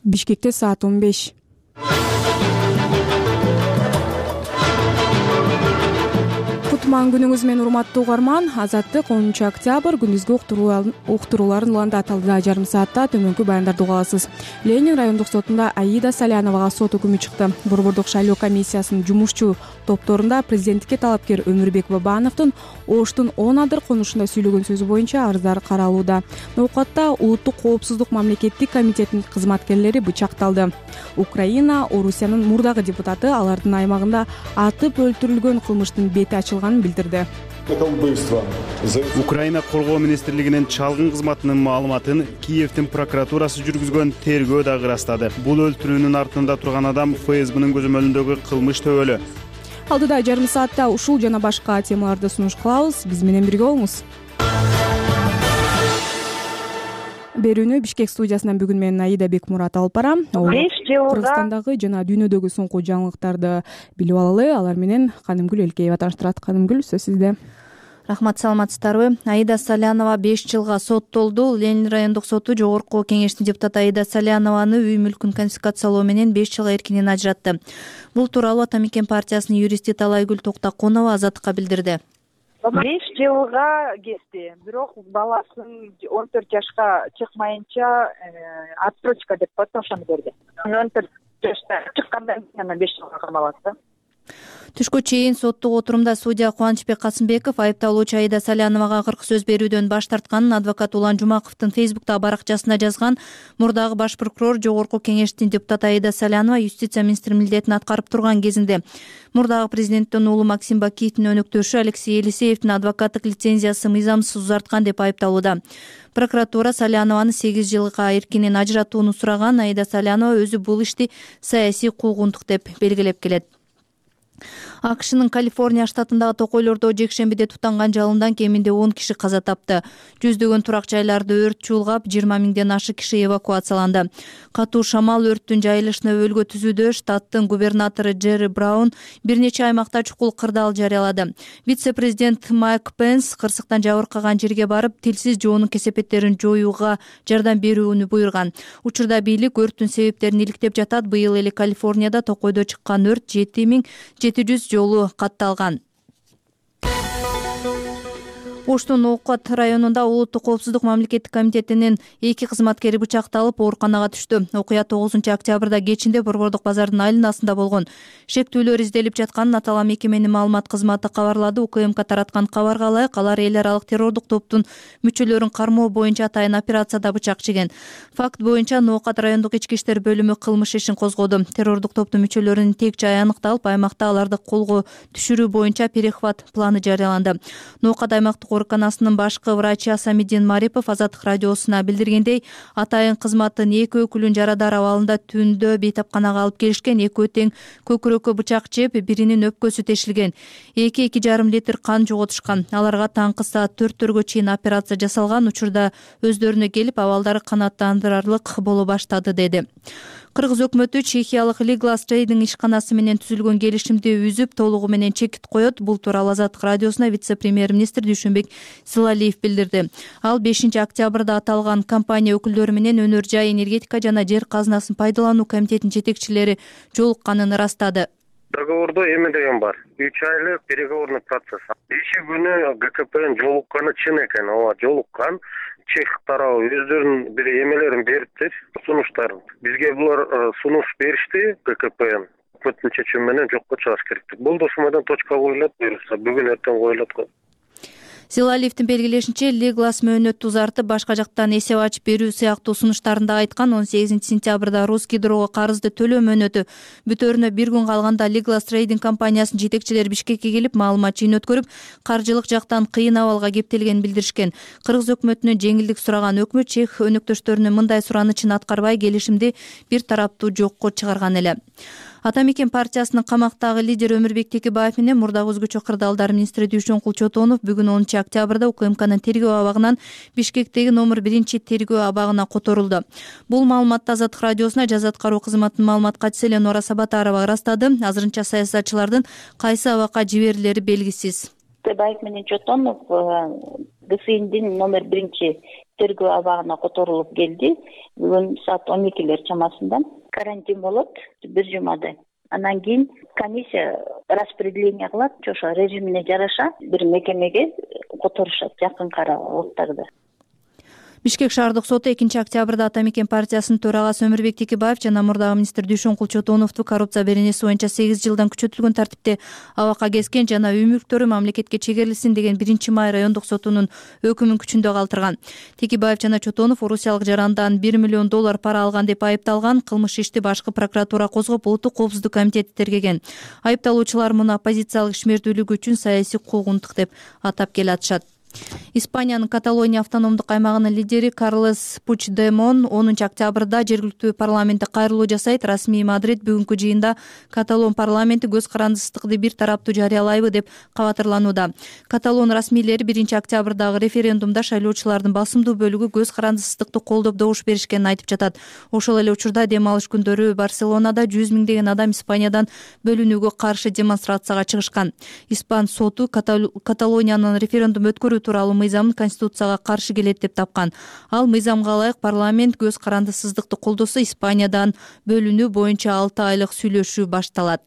Бишкекте саат 15. Кутман күнүңүз менен урматтуу угарман. Азаттык 10 октябрь күндүзгү уктурууларын улантатылды. Жарым саатта төмөнкү баяндарды уга аласыз. Ленин райондук сотунда Аида Саляновага сот үкүмү чыкты. Борбордук шайлоо комиссиясынын жумушчу топторунда президенттикке талапкер Өмүрбек Бабановдун Оштун 10 адыр конушунда сүйлөгөн сөзү боюнча арыздар каралууда. Ноокатта Улуттук коопсуздук мамлекеттик комитетинин кызматкерлери бычакталды. Украина Орусиянын мурдагы депутаты алардын аймагында атып өлтүрүлгөн кылмыштын бети ачылганын билдирди. Украина коргоо министрлигинин чалгын кызматынын маалыматын Киевдин прокуратурасы жүргүзгөн тергөө дагы ырастады. Бул өлтүрүүнүн артында турган адам ФСБнын көзөмөлүндөгү кылмыш төбөлү. Алдыда жарым саатта ушул жана башка темаларды сунуш кылабыз. Биз менен бирге болуңуз. Берүүнү Бишкек студиясынан бүгүн менен Аида Бекмурат алып барам. Кыргызстандагы жана дүйнөдөгү соңку жаңылыктарды билип алалы. Алар менен Канымгүл Элкеева тааныштырат. Канымгүл, сөз сизде. Рахмат, саламатсыздарбы? Аида Салянова 5 жылга соттолду. Ленин райондук соту жогорку кеңештин депутаты Аида Салянованы үй мүлкүн конфискациялоо менен 5 жылга эркинен ажыратты. Бул тууралуу Ата Мекен партиясынын юристи Талайгүл Токтокунова Азаттыкка билдирди. 5 жылга кетти. Бирок баласын 14 жашка чыкмайынча отсрочка деп коет, ошону берди. 14 жашта чыккандан кийин 5 жылга камалат да. Түшкө чейин соттук отурумда судья Кубанычбек Касымбеков айыпталуучу Аида Саляновага акыркы сөз берүүдөн баш тартканын адвокат Улан Жумаковдун Фейсбуктагы баракчасына жазган. Мурдагы баш прокурор жогорку кеңештин депутаты Аида Салянова юстиция министри милдетин аткарып турган кезинде мурдагы президенттин уулу Максим Бакиевдин өнөктөшү Алексей Елисеевдин адвокаттык лицензиясы мыйзамсыз узарткан деп айыпталууда. Прокуратура Салянованы 8 жылга эркинен ажыратууну сураган. Аида Салянова өзү бул ишти саясий куугунтук деп белгилеп келет. АКШнын Калифорния штатындагы токойлордо жекшембиде тутанган жалындан кеминде 10 киши каза тапты. Жүздөгөн турак жайларды өрт чуулгап, 20 миңден ашык киши эвакуацияланды. Катуу шамал өрттүн жайылышына өлгө түзүүдө штаттын губернатору Джерри Браун бир нече аймакта чукул кырдаал жарыялады. Вице-президент Майк Пенс кырсыктан жабыркаган жерге барып, тилсиз жоонун кесепеттерин жоюуга жардам берүүнү буйруган. Учурда бийлик өрттүн себептерин иликтеп жатат. Быйыл эле Калифорнияда токойдо чыккан өрт 7700 жолу катталган. Оштун Оокат районунда Улуттук коопсуздук мамлекеттик комитетинин 2 кызматкери бычакталып ооруканага түштү. Окуя 9 октябрда кечинде Борбордук базардын айланасында болгон. Шектүүлөр изделип жатканын аталган мекеменин маалымат кызматы кабарлады. УКМК тараткан кабарга ылайык, алар эл аралык террордук топтун мүчөлөрүн кармоо боюнча атайын операцияда бычак чеген. Факт боюнча Оокат райондук ички иштер бөлүмү кылмыш ишин козгоду. Террордук топтун мүчөлөрүнүн тек жайы аныкталып, аймакта аларды колго түшүрүү боюнча перехват планы жарыяланды. Оокат аймактык ооруканасынын башкы врачы Асамиддин Марипов Азаттык радиосуна билдиргендей, атайын кызматтын 2 өкүлүн жарадар абалында түндө бейтапканага алып келишкен. Экөө тең көкүрөккө бычак жеп, биринин өпкөсү тешилген. 2,5 литр кан жоготушкан. Аларга таңкы саат 4-төргө чейин операция жасалган. Учурда өздөрүнө келип, абалдары канааттандырарлык боло баштады, деди. Кыргыз өкмөтү чехиялык Liglaz Trading ишканасы менен түзүлгөн келишимди үзүп, толугу менен чекит коет. Бул тууралуу Азаттык радиосуна вице-премьер-министр Дүйшөнбек Силалиев билдирди. Ал 5 октябрда аталган компания өкүлдөрү менен өнөр жай, энергетика жана жер казынасын пайдалануу комитетинин жетекчилери жолукканын ырастады. Договордо эме деген бар. 3 айлык переговорный процесс. Иши күнү ГКПнын жолукканы чын экен. Ооба, жолуккан. Чех тарабы өздөрүнүн бир эмелерин бериптир, сунуштарын. Бизге булар сунуш беришти ГКПнын. Өкмөттүн чечими менен жокко чыгыш керек. Бул досумайдан точка коюлат, буюрса бүгүн эртең коюлат го. Силалиевдин белгилешинче, Liglaz мөөнөттү узартып, башка жактан эсеп ачып берүү сыяктуу сунуштарында айткан. 18 сентябрда Русгидрого карызды төлөө мөөнөтү бүтөөрүнө 1 күн калганда Liglaz Trading компаниясынын жетекчилери Бишкекке келип, маалымат жыйын өткөрүп, каржылык жактан кыйын абалга кептелгенин билдиришкен. Кыргыз өкмөтүнөн жеңилдик сураган өкмөт чех өнөктөштөрүнүн мындай суранычын аткарбай, келишимди бир тараптуу жокко чыгарган эле. Ата Мекен партиясынын камактагы лидери Өмүрбек Текебаев менен мурдагы өзгөчө кырдаалдар министри Дүйшөнкул Чотонов бүгүн 10 октябрда УКМКнын тергөө абагынан Бишкектеги номер 1 тергөө абагына которулду. Бул маалыматты Азаттык радиосуна жаза аткаруу кызматынын маалымат катчысы Ленора Сабатарова ырастады. Азырынча саясатчылардын кайсы абакка жиберилери белгисиз. Текебаев менен Чотонов ГСИндин номер 1 тергөө абагына которулуп келди. Бүгүн саат 12 чамасында карантин болот бир жумадай. Андан кийин комиссия распределение кылат, ошо режимине жараша бир мекемеге которушат жакынкы убакыттарда. Бишкек шаардык соту 2-октябрда Ата мекен партиясынын төрагасы Өмүрбек Текебаев жана мурдагы министр Дүйшөнкул Чотоновду коррупция беренеси боюнча 8 жылдан күчөтүлгөн тартипте абакка кезген жана үй мүлктөрү мамлекетке чегерилсин деген 1-май райондук сотунун өкүмүн күчүндө калтырган. Текебаев жана Чотонов орусиялык жарандан $1 миллион пара алган деп айыпталган. Кылмыш ишти башкы прокуратура козгоп, улуттук коопсуздук комитети тергеген. Айыпталуучулар муну оппозициялык ишмердүүлүгү үчүн саясий куугунтук деп атап келатышат. Испаниянын Каталония автономдук аймагынын лидери Карлес Пучдемон 10-октябрда жергиликтүү парламентте кайрылуу жасайт. Расмий Мадрид бүгүнкү жыйында Каталон парламенти көз карандысыздыкты бир тараптуу жарыялайбы деп кабатырланууда. Каталон расмийлери 1-октябрдагы референдумда шайлоочулардын басымдуу бөлүгү көз карандысыздыкты колдоп добуш беришкенин айтып жатат. Ошол эле учурда дем алыш күндөрү Барселонада 100 миңдеген адам Испаниядан бөлүнүүгө каршы демонстрацияга чыгышкан. Испан соту Каталониянын референдум өткөрүү тууралуу мыйзамын конституцияга каршы келет деп тапкан. Ал мыйзамга ылайык парламент көз карандысыздыкты колдосо Испаниядан бөлүнүү боюнча 6 айлык сүйлөшүү башталат.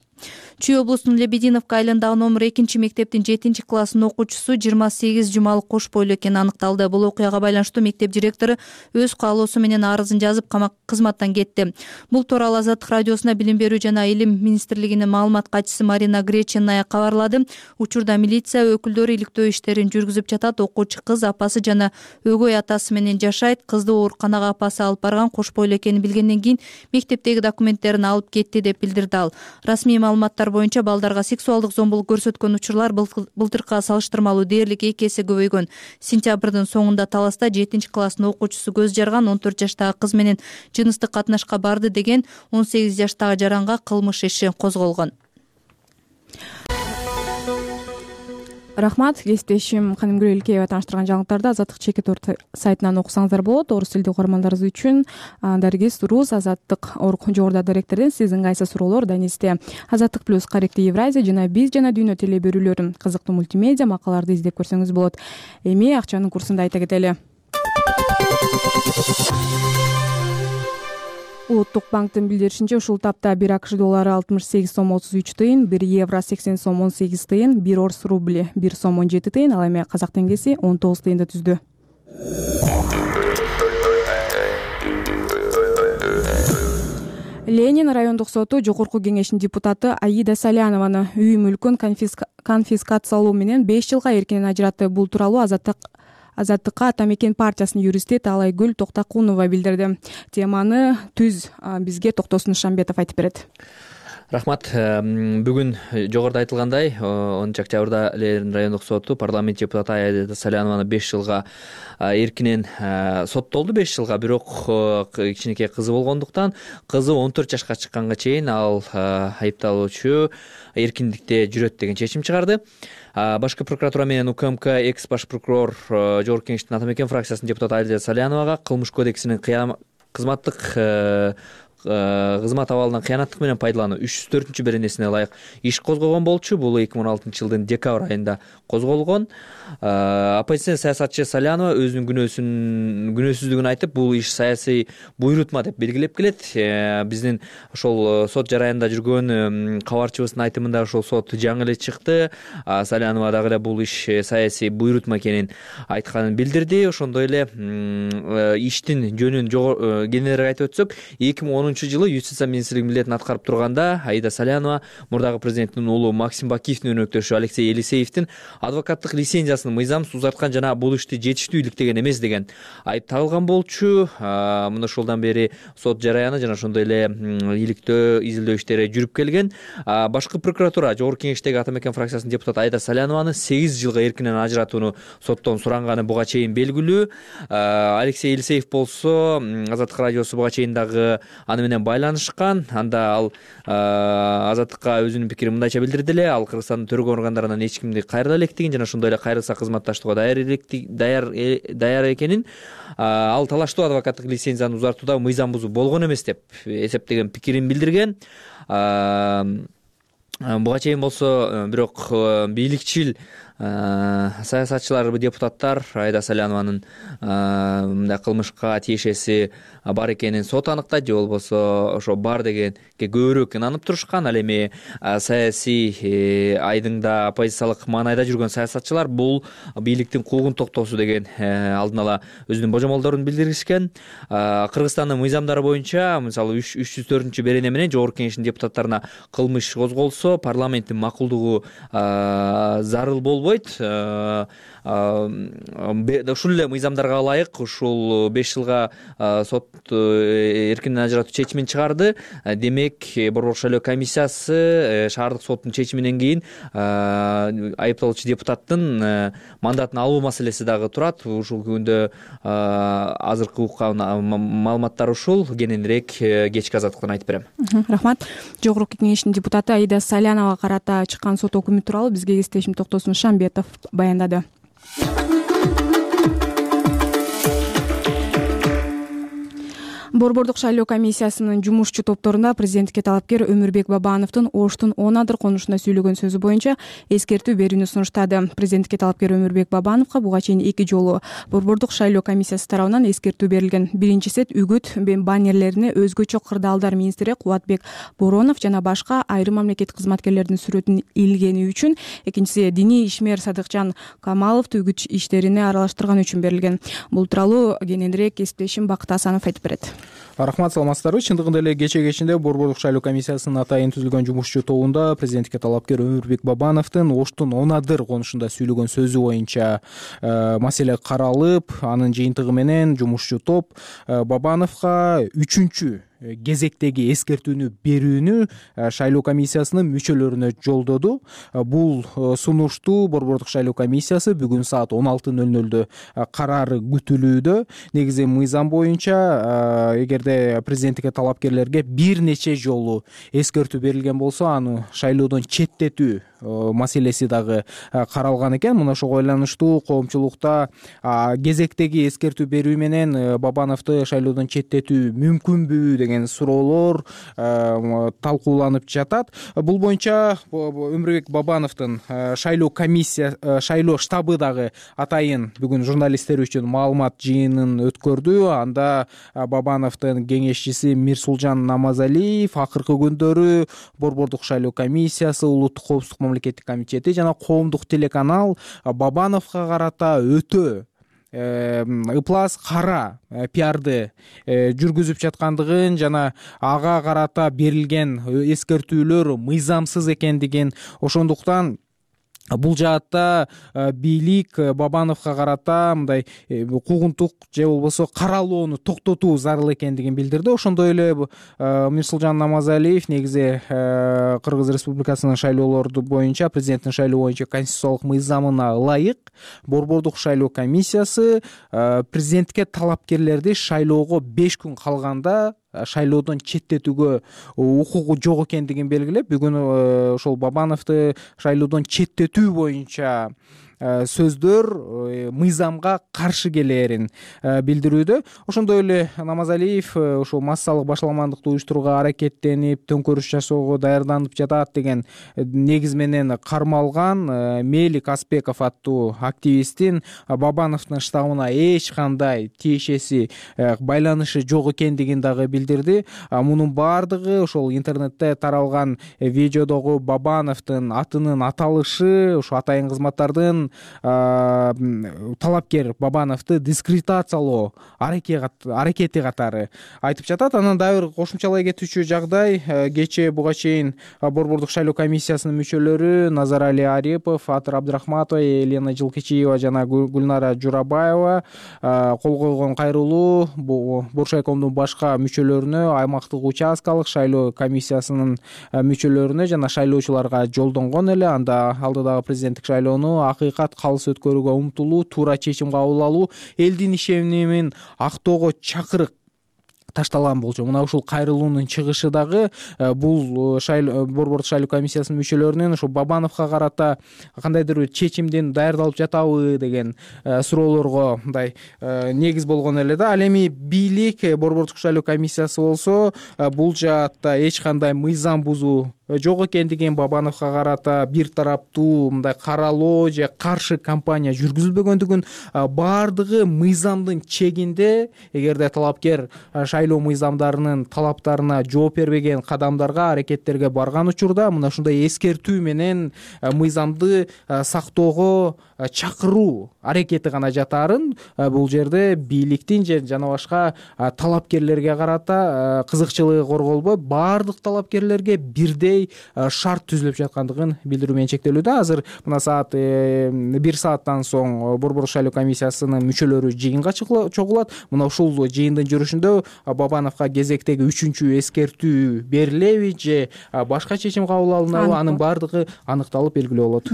Чүй облусунун Лебединовка айылындагы номер 2 мектептин 7 классынын окуучусу 28 жумалык кош бойлуу экени аныкталды. Бул окуяга байланыштуу мектеп директору өз каалоосу менен арызын жазып кызматтан кетти. Бул тууралуу Азаттык радиосуна билим берүү жана илим министрлигинин маалымат катчысы Марина Греченная кабарлады. Учурда милиция өкүлдөрү иликтөө иштерин жүргүзүп жатат. Окуучу кыз апасы жана өгөй атасы менен жашайт. Кызды ооруканага апасы алып барган, кош бойлуу экенин билгенден кийин мектептеги документтерин алып кетти деп билдирди ал. Расмий маалыматтар боюнча балдарга сексуалдык зомбулук көрсөткөн учурлар былтыркыга салыштырмалуу дээрлик 2 эсе көбөйгөн. Сентябрдын соңунда Таласта 7 класстын окуучусу көз жарган 14 жаштагы кыз менен жыныстык катнашка барды деген 18 жаштагы жаранга кылмыш иши козголгон. Рахмат. Кесиптешим Канымгүл Элкеева тааныштырган жаңылыктарды Азаттык чекит сайтынан окусаңыздар болот. Орус тилдүү угармандарыбыз үчүн Даргиз Рус Азаттык жогоруда директордон сиздин кайсы суроолор Данисте Азаттык плюс Каректи Евразия жана биз жана дүйнө теле берүүлөрүн кызыктуу мультимедиа макалаларды издеп көрсөңүз болот. Эми акчанын курсун айта кетели. Улуттук банктын билдиришинче ушул тапта 1 АКШ доллары 68 сом 33 тыйын, 1 евро 80 сом 18 тыйын, 1 орус рубли 1 сом 17 тыйын, ал эми казак теңгеси 19 тыйынды түздү. Ленин райондук соту жогорку кеңешинин депутаты Аида Салянованы үй мүлкүн конфискациялоо менен 5 жылга эркинен ажыратты. Бул тууралуу Азаттыкка Ата мекен партиясынын юристи Талайгүл Токтакунова билдирди. Теманы түз бизге Токтосун Шамбетов айтып берет. Рахмат. Бүгүн жогоруда айтылгандай 10-октябрда Ленин райондук соту парламент депутаты Аида Салянованы 5 жылга эркинен соттолду. 5 жылга, бирок кичинекей кызы болгондуктан кызы 14 жашка чыкканга чейин ал айыпталуучу эркиндикте жүрөт деген чечим чыгарды. Башкы прокуратура менен УКМК экс баш прокурор жогорку кеңештин Ата мекен фракциясынын депутаты Аида Саляновага кылмыш кодексинин кызмат абалынан кыянаттык менен пайдалануу 304 беренесине ылайык иш козгогон болчу. Бул 2016 жылдын декабрь айында козголгон. Оппозиционер саясатчы Салянова өзүнүн күнөөсүздүгүн айтып, бул иш саясий буйрутма деп белгилеп келет. Биздин ошол сот жараянда жүргөн кабарчыбыздын айтымында ошол сот жаңы эле чыкты. Салянова дагы эле бул иш саясий буйрутма экенин айтканын билдирди. Ошондой эле иштин жөнүн кененирээк айтып өтсөк, 2010 жылы юстиция министрлигинин милдетин аткарып турганда Аида Салянова мурдагы президенттин уулу Максим Бакиевдин өнөктөшү Алексей Елисеевдин адвокаттык лицензиясын мыйзамсыз узарткан жана бул ишти жетиштүү иликтеген эмес деген айып тагылган болчу. Мына ошолдан бери сот жараяны жана ошондой эле иликтөө, изилдөө иштери жүрүп келген. Башкы прокуратура жогорку кеңештеги Ата мекен фракциясынын депутаты Аида Салянованы 8 жылга эркинен ажыратууну соттон суранганы буга чейин белгилүү. Алексей Елисеев болсо Азаттык радиосу буга чейин дагы менен байланышкан. Анда ал Азаттыкка өзүнүн пикирин мындайча билдирди эле. Ал Кыргызстандын төрөгөн органдарынан эч кимди кайрыла электигин жана ошондой эле кайрылса кызматташтууга даяр экенин, ал талаштуу адвокаттык лицензияны узартууда мыйзам бузуу болгон эмес деп эсептеген пикирин билдирген. Буга чейин болсо бирок бийликчил саясатчылар, депутаттар Аида Салянованын мындай кылмышка тиешеси бар экенин сот аныктайт же болбосо ошо бар дегенге көбүрөөк ынанып турушкан. Ал эми саясий айдыңда оппозициялык маанайда жүргөн саясатчылар бул бийликтин куугун токтоосу деген алдын ала өзүнүн божомолдорун билдиришкен. Кыргызстандын мыйзамдары боюнча мисалы 304 берене менен Жогорку Кеңештин депутаттарына кылмыш козголсо парламенттин макулдугу зарыл болбойт. Ушул эле мыйзамдарга ылайык ушул 5 жылга сот эркинден ажыратуу чечимин чыгарды. Демек Борбордук шайлоо комиссиясы шаардык соттун чечиминен кийин айыпталуучу депутаттын мандатын алуу маселеси дагы турат. Ушул күндө азыркы уккан маалыматтар ушул. Кененирээк кечки азаттыктан айтып берем. Рахмат. Жогорку Кеңештин депутаты Аида Саляновага карата чыккан сот өкүмү тууралуу бизге кесиптешим Токтосун Шамбетов баяндады. Борбордук шайлоо комиссиясынын жумушчу топторунда президентке талапкер Өмүрбек Бабановдун Оштун 10 адыр конушунда сүйлөгөн сөзү боюнча эскертүү берүүнү сунуштады. Президентке талапкер Өмүрбек Бабановго буга чейин 2 жолу Борбордук шайлоо комиссиясы тарабынан эскертүү берилген. Биринчи сет үгүт баннерлерине өзгөчө кырдаалдар министри Кубатбек Боронов жана башка айрым мамлекеттик кызматкерлердин сүрөтүн илгени үчүн, экинчиси диний ишмер Садыкжан Камаловду үгүт иштерине аралаштырган үчүн берилген. Бул тууралуу кененирээк кесиптешим Бакыт Асанов айтып берет. Рахмат, саламатсыздарбы. Чындыгында эле кечинде Борбордук шайлоо комиссиясынын атайын түзүлгөн жумушчу тобунда президентке талапкер Өмүрбек Бабановдун Оштун 10 адыр конушунда сүйлөгөн сөзү боюнча маселе каралып, анын жыйынтыгы менен жумушчу топ Бабановго 3-чү кезектеги эскертүүнү берүүнү шайлоо комиссиясынын мүчөлөрүнө жолдоду. Бул сунушту Борбордук шайлоо комиссиясы бүгүн саат 16:00 карары күтүлүүдө. Негизи мыйзам боюнча эгерде президенттикке талапкерлерге бир нече жолу эскертүү берилген болсо, аны шайлоодон четтетүү маселеси дагы каралган экен. Мына ошого байланыштуу коомчулукта кезектеги эскертүү берүү менен Бабановду шайлоодон четтетүү мүмкүнбү деген суроолор талкууланып жатат. Бул боюнча Өмүрбек Бабановдун шайлоо штабы дагы атайын бүгүн журналисттер үчүн маалымат жыйынын өткөрдү. Анда Бабановдун кеңешчиси Мирсулжан Намазалиев акыркы күндөрү Борбордук шайлоо комиссиясы, улуттук коопсуздук мамлекеттик комитети жана коомдук телеканал Бабановго карата өтө ыплас кара пиарды жүргүзүп жаткандыгын жана ага карата берилген эскертүүлөр мыйзамсыз экендигин, ошондуктан бул жаатта бийлик Бабановго карата мындай куугунтук же болбосо каралоону токтотуу зарыл экендигин билдирди. Ошондой эле Мирсулжан Намазалиев негизи Кыргыз Республикасынын шайлоолорду боюнча, президенттин шайлоо боюнча конституциялык мыйзамына ылайык Борбордук шайлоо комиссиясы президентке талапкерлерди шайлоого 5 күн калганда шайлоодон четтетүүгө укугу жок экендигин белгилеп, бүгүн ошол Бабановду шайлоодон четтетүү боюнча сөздөр мыйзамга каршы келээрин билдирүүдө. Ошондой эле Намазалиев ошол массалык башаламандыкты уюштурууга аракеттенип, төңкөрүш жасоого даярданып жатат деген негиз менен кармалган Мелик Аспеков аттуу активисттин Бабановдун штабына эч кандай тиешеси, байланышы жок экендигин дагы билдирди. Мунун баардыгы ошол интернетте таралган видеодогу Бабановдун атынын аталышы, ошо атайын кызматтардын талапкер Бабановду дискредитациялоо аракети катары айтып жатат. Анан дагы бир кошумчалай кетүүчү жагдай, кечээ буга чейин Борбордук шайлоо комиссиясынын мүчөлөрү Назарали Арипов, Атыр Абдрахматова, Елена Жылкычиева жана Гүлнара Журабаева кол койгон кайрылуу Боршайкомдун башка мүчөлөрүнө, аймактык участкалык шайлоо комиссиясынын мүчөлөрүнө жана шайлоочуларга жолдонгон эле. Анда алдыдагы президенттик шайлоону калыс өткөрүүгө умтулуу, туура чечим кабыл алуу, элдин ишенимин актоого чакырык ташталган болчу. Мына ушул кайрылуунун чыгышы дагы бул Борбордук шайлоо комиссиясынын мүчөлөрүнүн ошо Бабановго карата кандайдыр бир чечимден даярдалып жатабы деген суроолорго мындай негиз болгон эле да. Ал эми бийлик Борбордук шайлоо комиссиясы болсо бул жаатта эч кандай мыйзам бузуу жок экендигин, Бабановго карата бир тараптуу мындай каралоо же каршы кампания жүргүзүлбөгөндүгүн, баардыгы мыйзамдын чегинде, эгерде талапкер шайлоо мыйзамдарынын талаптарына жооп бербеген кадамдарга, аракеттерге барган учурда мына ушундай эскертүү менен мыйзамды сактоого чакыруу аракети гана жатаарын, бул жерде бийликтин же жана башка талапкерлерге карата кызыкчылыгы корголбойт, баардык талапкерлерге бирдей шарт түзүлүп жаткандыгын билдирүү менен чектелүүдө. Азыр мына саат 1 сааттан соң Борбордук шайлоо комиссиясынын мүчөлөрү жыйынга чогулат. Мына ушул жыйындын жүрүшүндө Бабановго кезектеги 3-чү эскертүү берилеби же башка чечим кабыл алынабы, анын баардыгы аныкталып белгилүү болот.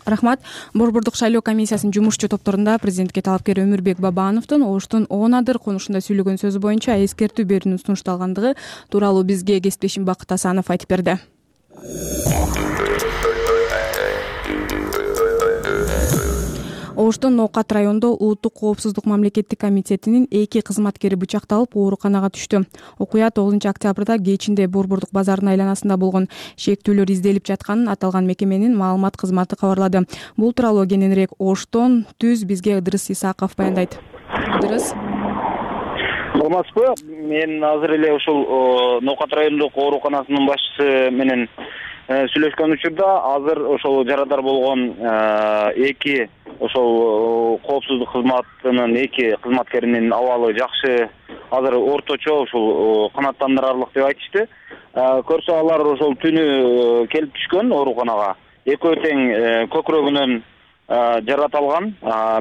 Рахмат. Борбордук шайлоо комиссиясынын жумушчу топторунда президентке талапкер Өмүрбек Бабановдун Оштун Оонадыр конушунда сүйлөгөн сөзү боюнча эскертүү берүүнүн сунушталгандыгы тууралуу бизге кесиптешим Бакыт Асанов айтып берди. Оштун Ноокат районунда Улуттук коопсуздук мамлекеттик комитетинин 2 кызматкери бычакталып ооруканага түштү. Окуя 9-октябрда кечинде Борбордук базарынын айланасында болгон. Шектүүлөр изделип жатканын аталган мекеменин маалымат кызматы кабарлады. Бул тууралуу кененирээк Оштон түз бизге Ыдырыс Исаков баяндайт. Ыдырыс. Саламатсызбы? Мен азыр эле ушул Ноокат райондук ооруканасынын башчысы менен сүйлөшкөн учурда азыр ошол жарадар болгон 2 ошол коопсуздук кызматынын 2 кызматкеринин абалы жакшы, азыр орточо ушул канааттандырарлык деп айтышты. Көрсө алар ошол түнү келип түшкөн ооруканага. Экөө тең көкүрөгүнөн жарат алган,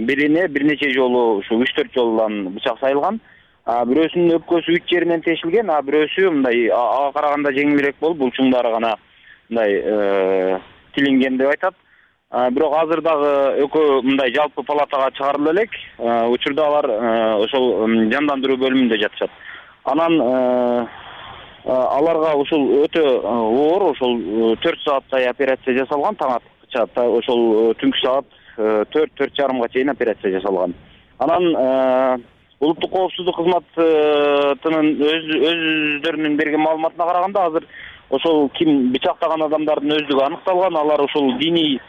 бирине бир нече жолу ушу 3-4 жолдан бычак сайылган. Бирөөсүнүн өпкөсү 3 жеринен тешилген, бирөөсү мындай ага караганда жеңилирээк болуп, булчуңдары гана мындай тилинген деп айтат. Бирок азыр дагы экөө мындай жалпы палатага чыгарыла элек. Учурда алар ошол жандандыруу бөлүмүндө жатышат. Анан аларга ушул өтө оор, ошол 4 сааттай операция жасалган, таң аткыча ошол түнкү саат 4-4:30 чейин операция жасалган. Анан Улуттук коопсуздук кызматынын өздөрүнүн берген маалыматына караганда азыр ошол ким бычактаган адамдардын өздүгү аныкталган, алар ошол диний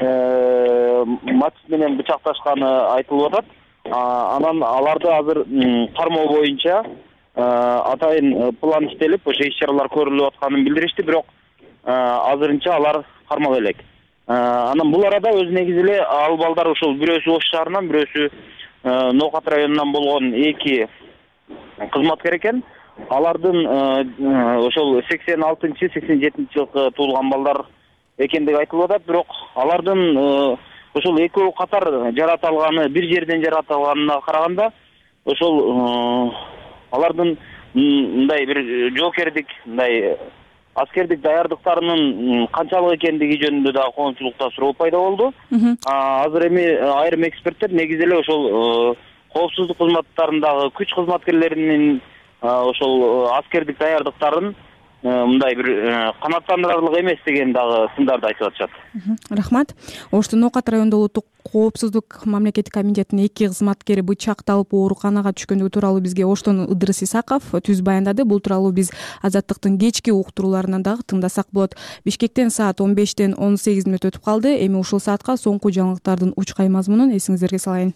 мотив менен бычакташканы айтылып атат. Анан аларды азыр кармоо боюнча атайын план иштелип, ошо иш-чаралар көрүлүп атканын билдиришти, бирок азырынча алар кармалып элек. Анан бул арада өз негизи эле ал балдар ошол бирөөсү Ош шаарынан, бирөөсү Ноокат районунан болгон 2 кызматкер экен. Алардын ошол 86-87 жылкы туулган балдар экендиги айтылып атат, бирок алардын ошол экөө катар жарат алганы, бир жерден жарат алганына караганда, ошол алардын мындай бир жоокердик, мындай аскердик даярдыктарынын канчалык экендиги жөнүндө дагы коомчулукта суроо пайда болду. Азыр эми айрым эксперттер негизи эле ошол коопсуздук кызматтарындагы күч кызматкерлеринин ошол аскердик даярдыктарын мындай бир канааттандырарлык эмес деген дагы сындарды айтып атышат. Рахмат. Оштун Ноокат районунда Улуттук коопсуздук мамлекеттик комитетинин 2 кызматкери бычакталып ооруканага түшкөндүгү тууралуу бизге Оштон Ыдырыс Исаков түз баяндады. Бул тууралуу биз Азаттыктын кечки уктурууларынан дагы тыңдасак болот. Бишкектен саат 15:18 өтүп калды. Эми ушул саатка соңку жаңылыктардын учкай мазмунун эсиңиздерге салайын.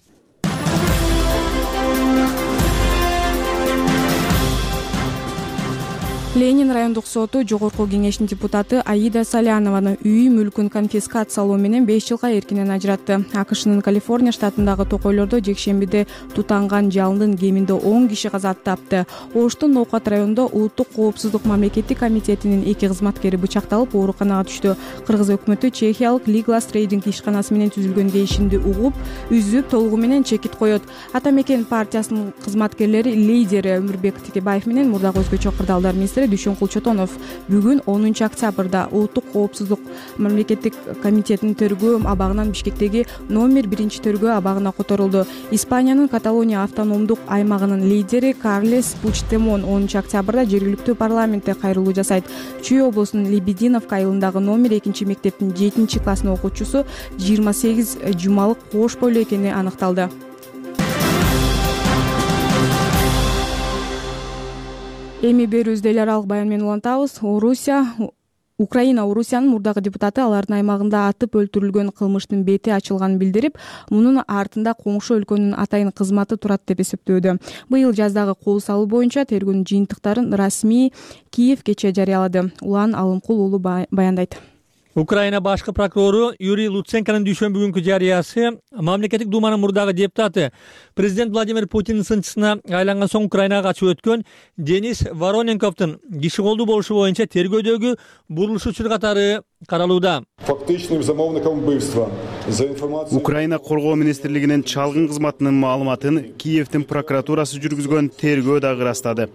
Ленин райондук соту жогорку кеңештин депутаты Аида Салянованын үй мүлкүн конфискациялоо менен 5 жылга эркинен ажыратты. АКШнын Калифорния штатындагы токойлордо жекшембиде тутанган жалындын кеминде 10 киши каза тапты. Оштун Ноокат районунда Улуттук коопсуздук мамлекеттик комитетинин 2 кызматкери бычакталып ооруканага түштү. Кыргыз өкмөтү Чехиялык Liglas Trading ишканасы менен түзүлгөн келишимди угуп, үзүп, толугу менен чекит коет. Ата мекен партиясынын кызматкерлери лидери Өмүрбек Текебаев менен мурдагы өзгөчө кырдаалдар министри Дүйшөнкул Чотонов бүгүн 10-октябрда Улуттук коопсуздук мамлекеттик комитетинин төрөгөө абагынан Бишкектеги номер 1-төрөгөө абагына которулду. Испаниянын Каталония автономдук аймагынын лидери Карлес Пучдемон 10-октябрда жергиликтүү парламентте кайрылуу жасайт. Чүй облусунун Лебединовка айылындагы номер 2 мектептин 7-класстын окуучусу 28 жумалык кош бойлуу экени аныкталды. Эми берүүбүздү эл аралык баян менен улантабыз. Орусия Украина Орусиянын мурдагы депутаты алардын аймагында атып өлтүрүлгөн кылмыштын бети ачылганын билдирип, мунун артында коңшу өлкөнүн атайын кызматы турат деп эсептөөдө. Быйыл жаздагы кол салуу боюнча тергөөнүн жыйынтыктарын расмий Киев кечээ жарыялады. Улан Алымкул уулу баяндайт. Украина башкы прокурору Юрий Луценконун дүйшөмбү күнкү жарыясы мамлекеттик думанын мурдагы депутаты президент Владимир Путиндин сынчысына айланган соң Украинага качып өткөн Денис Вороненковдун киши колдуу болушу боюнча тергөөдөгү бурулушуучулар катары каралууда. Украина коргоо министрлигинин чалгын кызматынын маалыматын Киевдин прокуратурасы жүргүзгөн тергөө дагы ырастады.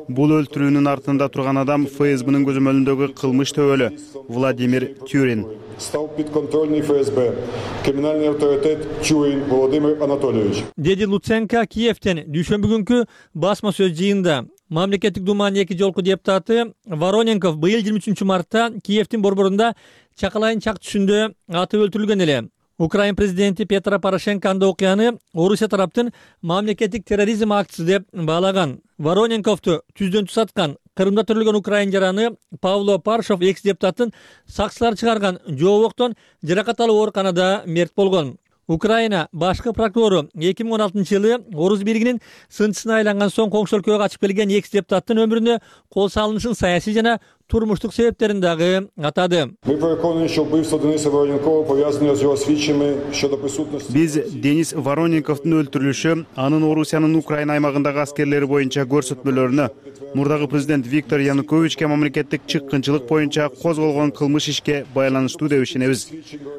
Бул өлтүрүүнүн артында турган адам ФСБнын көзөмөлүндөгү кылмыш төбөлү Владимир Тюрин. Стал подконтрольный ФСБ, криминальный авторитет Тюрин Владимир Анатольевич. Деди Луценко Киевден дүйшөмбү күнкү басма сөз жыйында. Мамлекеттик думанын 2 жолку депутаты Вороненков быйыл 23 мартта Киевдин борборунда Чакалайын чак түшүндө атып өлтүрүлгөн эле. Украин президенти Петро Порошенко анда окуяны Орусия тараптын мамлекеттик терроризм актысы деп баалаган. Вороненковду түздөн түз аткан Кырымда төрөлгөн украин жараны Павло Паршов экс депутаттын сакчылар чыгарган жообоктон жаракат алып ооруканада мерт болгон. Украина башкы прокурору 2016-жылы Орус бийлигинин сынчысына айланган соң коңшу өлкөгө качып келген экс депутаттын өмүрүнө кол салынышын саясий жана турмуштук себептерин дагы атады. Биз Денис Вороненковдун өлтүрүлүшү анын Орусиянын Украина аймагындагы аскерлери боюнча көрсөтмөлөрүнө, мурдагы президент Виктор Януковичке мамлекеттик чыккынчылык боюнча козголгон кылмыш ишке байланыштуу деп ишенебиз.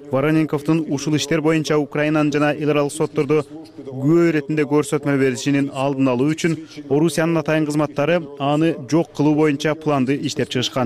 Вороненковдун ушул иштер боюнча Украинанын жана эл аралык соттордо күбө иретинде көрсөтмө беришинин алдын алуу үчүн Орусиянын атайын кызматтары аны жок кылуу боюнча планды иштеп чыгышкан.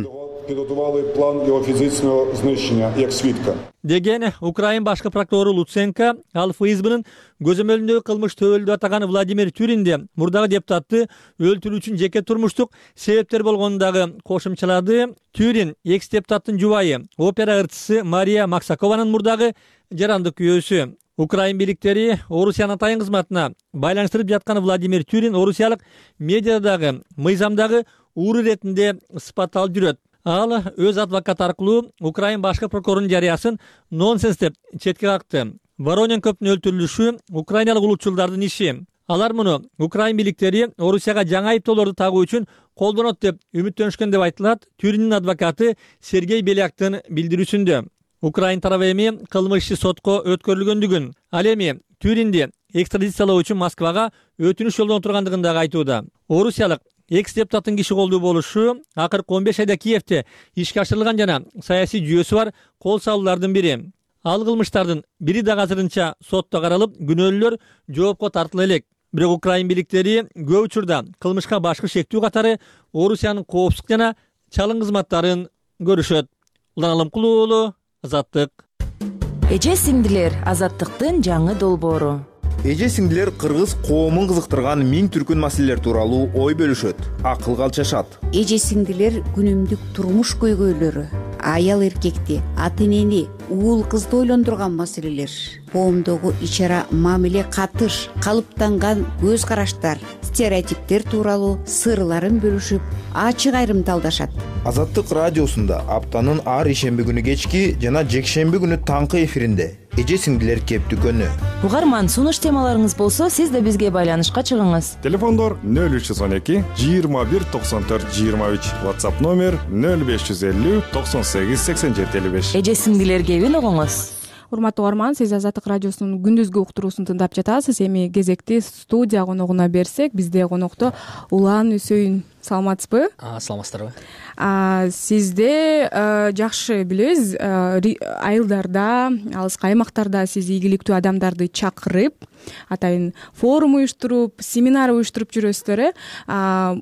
Підготували план його фізичного знищення як свідка. Деген Украин башкы прокурору Луценко ал ФСБнын көзөмөлүндөгү кылмыш төбөлдү атаган Владимир Тюринде мурдагы депутатты өлтүрүү үчүн жеке турмуштук себептер болгонун дагы кошумчалады. Тюрин экс депутаттын жубайы, опера ырчысы Мария Максакованын мурдагы жарандык күйөөсү. Украин бийликтери Орусиянын атайын кызматына байланыштырып жаткан Владимир Тюрин орусиялык медиадагы, мыйзамдагы ууру иретинде сыпатталып жүрөт. Ал өз адвокаты аркылуу Украин башкы прокурорунун жарыясын нонсенс деп четке какты. Вороненковдун өлтүрүлүшү украиналык улутчулдардын иши. Алар муну Украин бийликтери Орусияга жаңы айыптоолорду тагуу үчүн колдонот деп үмүттөнүшкөн деп айтылат Тюриндин адвокаты Сергей Беляктын билдирүүсүндө. Украин тарабы эми кылмыш иши сотко өткөрүлгөндүгүн, ал эми Тюринди экстрадициялоо үчүн Москвага өтүнүш жолдон тургандыгын дагы айтууда. Орусиялык экс депутаттын киши колдуу болушу акыркы 15 айда Киевде ишке ашырылган жана саясий жүйөсү бар кол салуулардын бири. Ал кылмыштардын бири дагы азырынча сотто каралып, күнөөлүүлөр жоопко тартыла элек. Бирок Украин бийликтери көп учурда кылмышка башкы шектүү катары Орусиянын коопсуздук жана чалгын кызматтарын көрүшөт. Улан Алымкул уулу, Азаттык. Эже сиңдилер, Азаттыктын жаңы долбоору. Эже сиңдилер кыргыз коомун кызыктырган миң түркүн маселелер тууралуу ой бөлүшөт, акылга алчашат. Эже сиңдилер күнүмдүк турмуш көйгөйлөрү, аял эркекти, ата энени, уул кызды ойлондурган маселелер, коомдогу ич ара мамиле катыш, калыптанган көз караштар, стереотиптер тууралуу сырларын бөлүшүп, ачык айрымдалдашат. Азаттык радиосунда аптанын ар ишемби күнү кечки жана жекшемби күнү таңкы эфиринде эже сиңдилер кептүкөнү. Угарман, сунуш темаларыңыз болсо, сиз да бизге байланышка чыгыңыз. Телефондор 0312 21 94 23, WhatsApp номер 0550 98 87 55. Эже сиңдилер кебин угуңуз. Урматтуу угарман, сиз Азаттык радиосунун күндүзгү уктуруусун тыңдап жатасыз. Эми кезекти студия коногуна берсек, бизде конокто Улан Үсөйүн. Саламатсызбы? Саламатсыздарбы? Сизде жакшы билебиз, айылдарда, алыскы аймактарда сиз ийгиликтүү адамдарды чакырып, атайын форум уюштуруп, семинар уюштуруп жүрөсүздөр.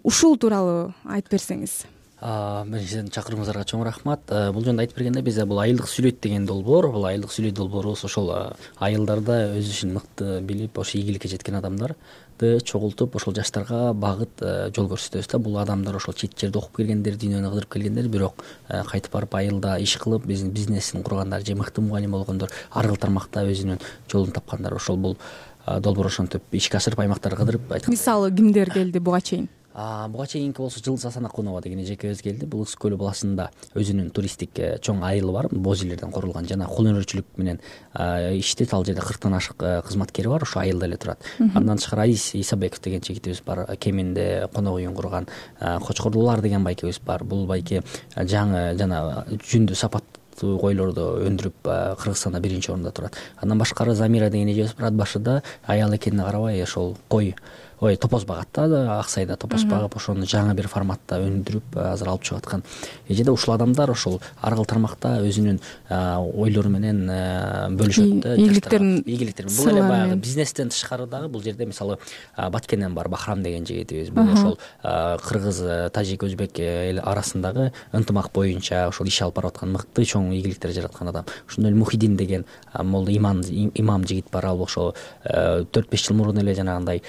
Ушул тууралуу айтып берсеңиз. Биринчиден чакырууңуздарга чоң рахмат. Бул жөнүндө айтып бергенде бизде бул айылдык сүйлөйт деген долбоор, бул айылдык сүйлөйт долбоорубуз ошол айылдарда өз ишин мыкты билип, ошо ийгиликке жеткен адамдарды чогултуп, ошол жаштарга багыт жол көрсөтөбүз да. Бул адамдар ошол чет жерде окуп келгендер, дүйнөнү кыдырып келгендер, бирок кайтып барып айылда иш кылып, биздин бизнесин кургандар же мыкты мугалим болгондор, ар кыл тармакта өзүнүн жолун тапкандар. Ошол бул долбоор ошентип ишке ашырып аймактарга кыдырып айткан. Мисалы кимдер келди буга чейин? буга чейинки болсо Жылдыз Асанакунова деген эжекебиз келди. Бул Ысык көлү баласында өзүнүн туристтик чоң айылы бар, боз жерлерден курулган, жана кол өнөрчүлүк менен иштейт. Ал жерде 40тан ашык кызматкери бар, ошо айылда эле турат. Андан тышкары Аис Исабеков деген жигитибиз бар, Кеминде конок үйүн курган. Кочкордулар деген байкебиз бар. Бул байке жаңы жана жүндү сапаттуу койлорду өндүрүп Кыргызстанда 1-орунда турат. Андан башкары Замира деген эжебиз бар, Ат башыда аял экенине карабай ошол топоз багат да, Аксайда топоз багып, ошону жаңы бир форматта өндүрүп азыр алып чыгып аткан эжеде. Ушул адамдар ошол ар кыл тармакта өзүнүн ойлору менен бөлүшөт да, ийгиликтерин. Бул эле баягы бизнестен тышкары дагы бул жерде мисалы Баткенден бар Бахрам деген жигитибиз, бул ошол кыргыз, тажик, өзбек эл арасындагы ынтымак боюнча ошол иш алып барып аткан мыкты чоң ийгиликтер жараткан адам. Ошондой эле Мухиддин деген молда имам жигит бар, ал ошол 4-5 жыл мурун эле жанагындай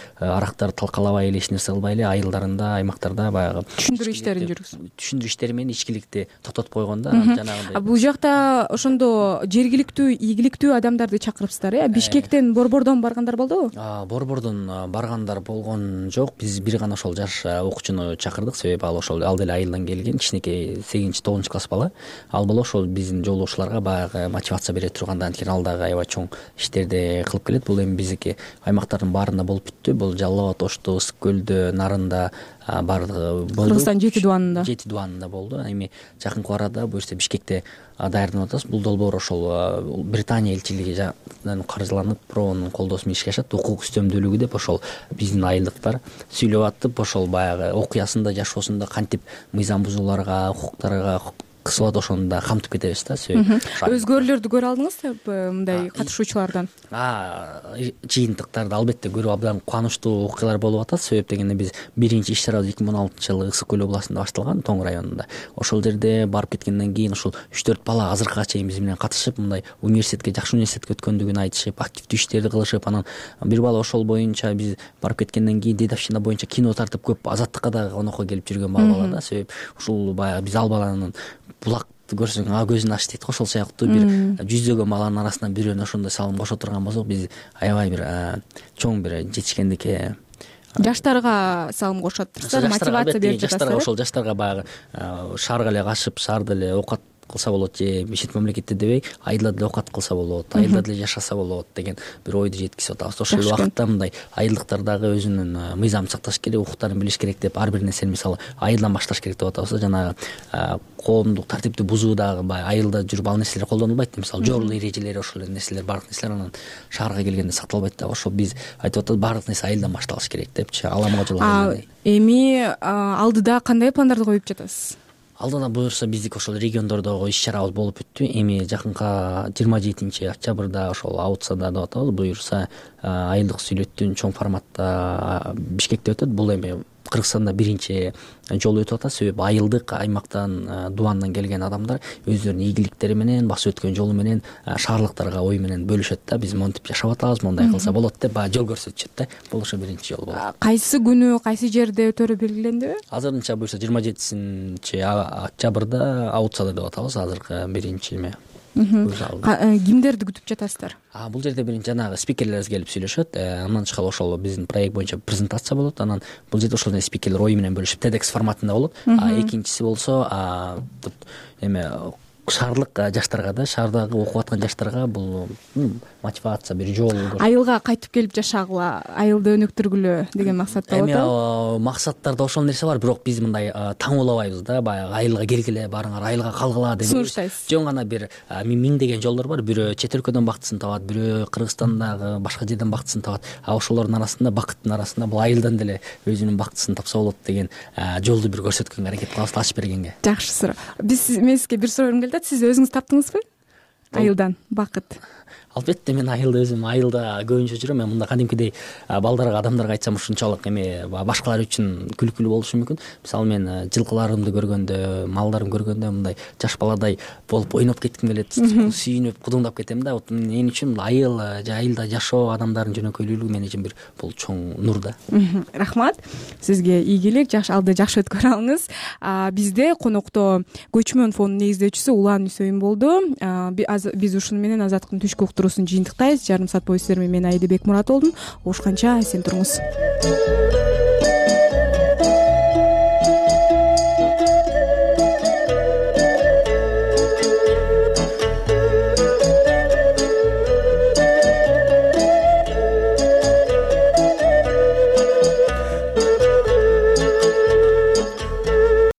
талкалабай эле, эч нерсе кылбай эле айылдарында, аймактарда баягы түшүндүрүү иштерин жүргүзөт. Түшүндүрүү иштери менен ичкиликти токтотуп койгон да, жанагындай. Бул жакта ошондо жергиликтүү, ийгиликтүү адамдарды чакырыпсыздар, Бишкектен, Борбордон баргандар болдубу? Борбордон баргандар болгон жок. Биз бир гана ошол жаш окуучуну чакырдык, себеби ал деле айылдан келген, кичинекей 8-9 класс бала. Ал бала ошол биздин жолдошуларга баягы мотивация бере турганда, анткени ал дагы аябай чоң иштерди кылып келет. Бул эми биздики аймактардын баарында болуп бүттү. Бул Жалал абад, Ошту, Ысык көлдө, Нарында баардыгы болду. Кыргызстан 7 дубанында болду. Эми жакынкы арада буюрса Бишкекте даярданып атабыз. Бул долбоор ошол Британия элчилигинен каржыланып, пробонун колдоосу менен ишке ашат. Укук үстөмдүүлүгү деп ошол биздин айылдыктар сүйлөп атып, ошол баягы окуясында, жашоосунда кантип мыйзам бузууларга, укуктарга кысылат, ошону да камтып кетебиз да. Өзгөрүүлөрдү көрө алдыңызбы мындай катышуучулардан? Жыйынтыктарды албетте көрүп абдан кубанычтуу окуялар болуп атат. Себеп дегенде биз биринчи иш чарабыз 2016-жылы Ысык көлү областында башталган, Тоң районунда. Ошол жерде барып кеткенден кийин ошол 3-4 бала азыркыга чейин биз менен катышып, мындай жакшы университетке өткөндүгүн айтышып, активдүү иштерди кылышып, анан бир бала ошол боюнча биз барып кеткенден кийин дедовщина боюнча кино тартып көп Азаттыкка дагы конокко келип жүргөн бала да. Себеп ушул баягы биз ал баланын булак көрсөң көзүн ач дейт го, ошол сыяктуу бир жүздөгөн баланын арасынан бирөөнү ошондой салым кошо турган болсок, биз аябай бир чоң бир жетишкендикке. Жаштарга салым кошотурсуздар, мотивация берип жатасыздар. Ошол жаштарга баягы шаарга эле качып, шаарда эле оокат кылса болот, же чет мамлекетте дебей айылда деле оокат кылса болот, айылда деле жашаса болот деген бир ойду жеткизип атабыз. Ошол убакытта мындай айылдыктар дагы өзүнүн мыйзамын сакташ керек, укуктарын билиш керек деп ар бир нерсени мисалы айылдан башташ керек деп атабыз. Жанагы коомдук тартипти бузуу дагы айылда жүрүп ал нерселер колдонулбайт. Мисалы жол эрежелери, ошол нерселер, баардык нерселер анан шаарга келгенде сакталбайт да. Ошол биз айтып атабыз, баардык нерсе айылдан башталыш керек депчи. Аламга жол. Эми алдыда кандай пландарды коюп жатасыз? Алдыда буюрса биздики ошол региондордогу иш чарабыз болуп бүттү. Эми жакынкы 27-октябрда ошол Аутсада деп атабыз, буюрса айылдык сүйлөттүн чоң форматта Бишкекте өтөт. Бул эми Кыргызстанда биринчи жолу өтүп атат. Себеби айылдык аймактан, дубандан келген адамдар өздөрүнүн ийгиликтери менен, басып өткөн жолу менен шаарлыктарга ой менен бөлүшөт да. Биз монтип жашап атабыз, мондай кылса болот деп жол көрсөтүшөт да. Бул ошо биринчи жол болот. Кайсы күнү, кайсы жерде өтөрү белгилендиби? Азырынча буюрса 27-октябрда Аутсада деп атабыз. Азыркы биринчи эме. Кимдерди күтүп жатасыздар? Бул жерде биринчи жанагы спикерлерибиз келип сүйлөшөт. Андан тышкары ошол биздин проект боюнча презентация болот. Анан бул жерде ошол спикерлер ой менен бөлүшүп TEDx форматында болот. Экинчиси болсо эме шаардык жаштарга да, шаардагы окуп аткан жаштарга бул мотивация, бир жол. Айылга кайтып келип жашагыла, айылды өнүктүргүлө деген максатта болот. Эми максаттарда ошол нерсе бар, бирок биз мындай таңуулабайбыз да, баягы айылга киргиле, барыңар айылга калгыла деп сунуштайсыз. Жөн гана бир миңдеген жолдор бар. Бирөө чет өлкөдөн бактысын табат, бирөө Кыргызстандагы башка жерден бактысын табат. Ошолордун арасында, бакыттын арасында бул айылдан деле өзүнүн бактысын тапса болот деген жолду бир көрсөткөнгө аракет кылабыз, ачып бергенге. Жакшы суроо. Мен сизге бир суроом келди. Сиз өзүңүз таптыңызбы? Айылдан бакыт. Албетте мен айылда өзүм көбүнчө жүрөм. Мен мында кадимкидей балдарга, адамдарга айтсам ушунчалык эме башкалар үчүн күлкүлүү болушу мүмкүн. Мисалы мен жылкыларымды көргөндө, малдарымды көргөндө мындай жаш баладай болуп ойноп кетким келет, сүйүнүп, кудуңдап кетем да. Мен үчүн айыл же айылда жашоо, адамдардын жөнөкөйлүүлүгү мен үчүн бул чоң нур да. Рахмат. Сизге ийгилик, алды жакшы өткөрө алыңыз. Бизде конокто көчмөн фондунун негиздөөчүсү Улан Үсөйүн болду. Биз ушуну менен Азаттыктын түшкү уктуруусун жыйынтыктайбыз. Жарым саат бою сиздер менен мен Айдыбек Мурат болдум. Ушканча эсен туруңуз.